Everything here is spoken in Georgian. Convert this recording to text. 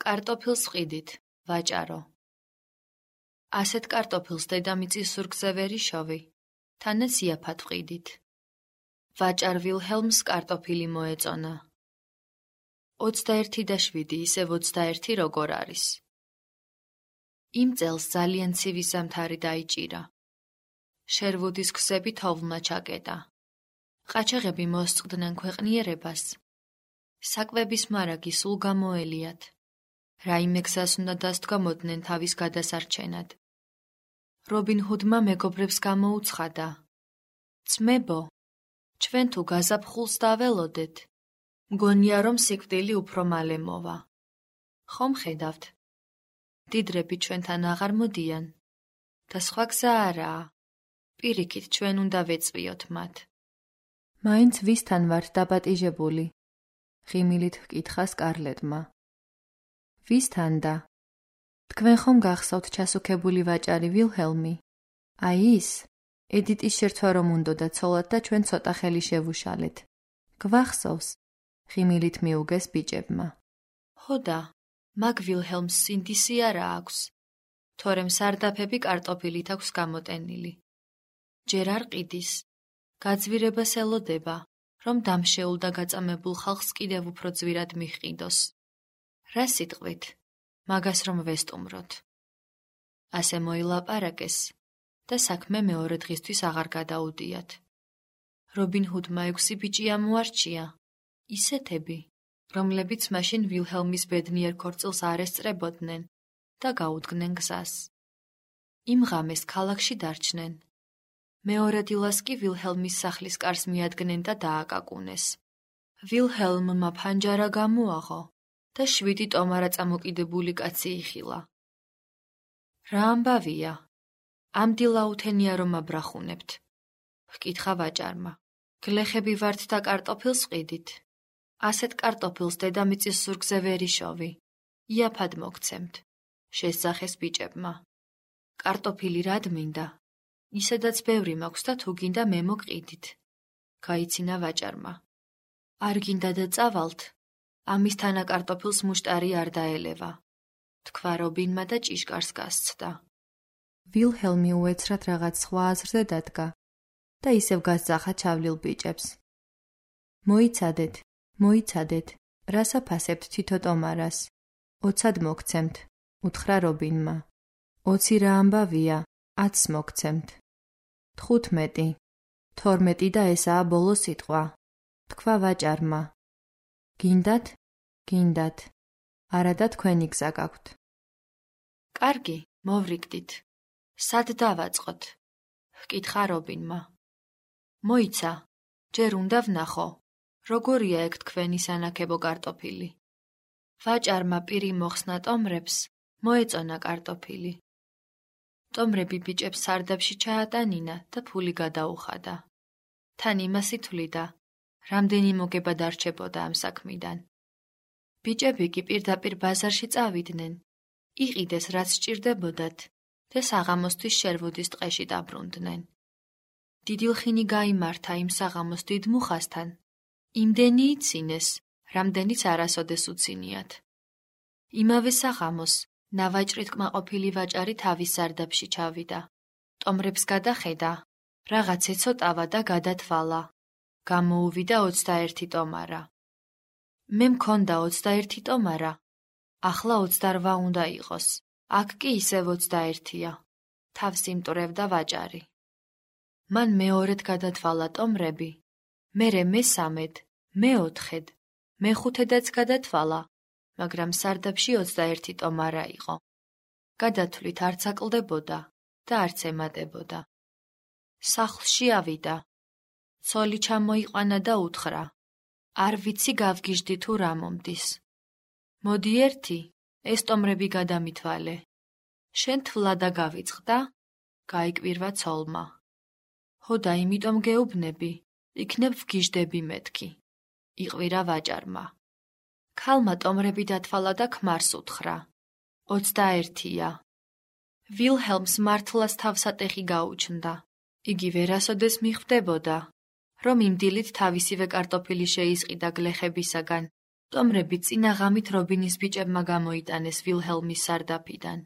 კარტოფილს ვყიდით, ვაჭარო. ასეთ კარტოფილს დედამიწის ზურგზე ვერ იშოვი, თანაც იაფად ვყიდით. ვაჭარ ვილჰელმს კარტოფილი მოეწონა. 21-7 ისევ 21 როგორ არის. იმ წელს ძალიან ცივი ზამთარი დაიჭირა. შერვუდის გზები თოვლმა ჩაკეტა. ყაჩაღები მოსწყდნენ ქვეყნიერებას. საკვების მარაგი სულ გამოელიათ. რაიმე გზას უნდა დასდგამოდნენ თავის გადასარჩენად. რობინ ჰუდმა მეგობრებს გამოუცხადა. ძმებო, ჩვენ თუ გაზაფხულს დაველოდეთ, მგონია რომ სიკვდილი უფრო მალე მოვა. ხომ ხედავთ? დიდრები ჩვენთან აღარ მოდიან და სხვა გზა არაა. პირიქით ჩვენ უნდა ვეწვიოთ მათ. მაინც ვისთან ვართ დაპატიჟებული? ღიმილით ჰკითხა სკარლეტმა. ვისთან და? თქვენ ხომ გახსოვთ ჩასუქებული ვაჭარი ვილჰელმი? აი ის, ედიტის შერთვა რომ უნდოდა ცოლად და ჩვენ ცოტა ხელი შევუშალეთ. გვახსოვს? ღიმილით მიუგეს ბიჭებმა. ხოდა, მაგ ვილჰელმს სინდისი არა აქვს, თორემ სარდაფები კარტოფილით აქვს გამოტენილი. ჯერ არ ყიდის, გაძვირებას ელოდება, რომ დამშეულ და გაწამებულ ხალხს კიდევ უფრო ძვირად მიჰყიდოს. რა სიტყვით, მაგას რომ ვესტუმროთ. ასე მოილაპარაკეს და საქმე მეორე დღისთვის აღარ გადაუდიათ. რობინ ჰუდმა 6 ბიჭი ამოარჩია, ისეთები, რომლებიც მაშინ ვილჰელმის ბედნიერ ქორწილს არ ესწრებოდნენ და გაუდგნენ გზას. იმ ღამეს ქალაქში დარჩნენ. მეორე დილას კი ვილჰელმის სახლის კარს მიადგნენ და დააკაკუნეს. ვილჰელმმა ფანჯარა გამოაღო და 7 ტომარა წამოკიდებული კაცი იხილა. რა ამბავია? ამ დილაუთენია რომ აბრახუნებთ? ჰკითხა ვაჭარმა. გლეხები ვართ და კარტოფილს ყიდით. ასეთ კარტოფილს დედამიწის ზურგზე ვერ იშოვი. იაფად მოგცემთ. შესძახეს ბიჭებმა. კარტოფილი რად მინდა? ისედაც ბევრი მაქვს და თუ გინდა მე მოგყიდით. გაიცინა ვაჭარმა. არ გინდა და წავალთ. ამისთანა კარტოფილს მუშტარი არ დაელევა. თქვა რობინმა და ჭიშკარს გასცდა. ვილჰელმი უეცრად რაღაც სხვა აზრზე დადგა და ისევ გასძახა ჩავლილ ბიჭებს. მოიცადეთ, რას აფასებთ თითო ტომარას? 20-ად მოგცემთ, უთხრა რობინმა. 20 რა ამბავია, 10-ს მოგცემთ. 15, 12 და ესაა ბოლო სიტყვა, თქვა ვაჭარმა. გინდათ, არა და თქვენი გზა გაქვთ. კარგი, მოვრიგდით. სად დავაწყოთ? ჰკითხა რობინმა. მოიცა, ჯერ უნდა ვნახო, როგორია ეგ თქვენი სანაქებო კარტოფილი. ვაჭარმა პირი მოხსნა ტომრებს, მოეწონა კარტოფილი. ტომრები ბიჭებს სარდაფში ჩაატანინა და ფული გადაუხადა. თან იმას ითვლიდა, რამდენი მოგება დარჩებოდა ამ საქმიდან. ბიჭები კი პირდაპირ ბაზარში წავიდნენ, იყიდეს რაც სჭირდებოდათ და საღამოსთვის შერვუდის ტყეში დაბრუნდნენ. დიდილხინი გაიმართა იმ საღამოს დიდ მუხასთან, იმდენი იცინეს, რამდენიც არასოდეს უცინიათ. იმავე საღამოს ნავაჭრით კმაყოფილი ვაჭარი თავის სარდაფში ჩავიდა. ტომრებს გადახედა, რაღაც ეცოტავა და გადათვალა. გამოუვიდა 21 ტომარა. მე მქონდა 21 ტომარა, ახლა 28 უნდა იყოს. აქ კი ისევ 21-ია. თავს იმტვრევდა ვაჭარი. მან მეორედ გადათვალა ტომრები, მერე მესამედ, მეოთხედ, მეხუთედაც გადათვალა, მაგრამ სარდაფში 21 ტომარა იყო. გადათვლით არც აკლდებოდა და არც ემატებოდა. სახლში ავიდა. ცოლი ჩამოიყვანა და უთხრა. არ ვიცი გავგიჟდი თუ რა მომდის. მოდი ერთი, ეს ტომრები გადამითვალე. შენ თვლა და გავიწყდა? გაიკვირვა ცოლმა. ჰოდა იმიტომ გეუბნები, იქნებ ვგიჟდები მეთქი. იყვირა ვაჭარმა. ქალმა ტომრები დათვალა და ქმარს უთხრა. 21-ია. ვილჰელმს მართლაც თავსატეხი გაუჩნდა. იგი ვერასოდეს მიხვდებოდა, რომ იმ დილით თავისივე კარტოფილი შეიზყიდა გლეხებისაგან ტომრები წინა ღამით რობინის ბიჭებმა გამოიტანეს ვილჰელმის სარდაფიდან.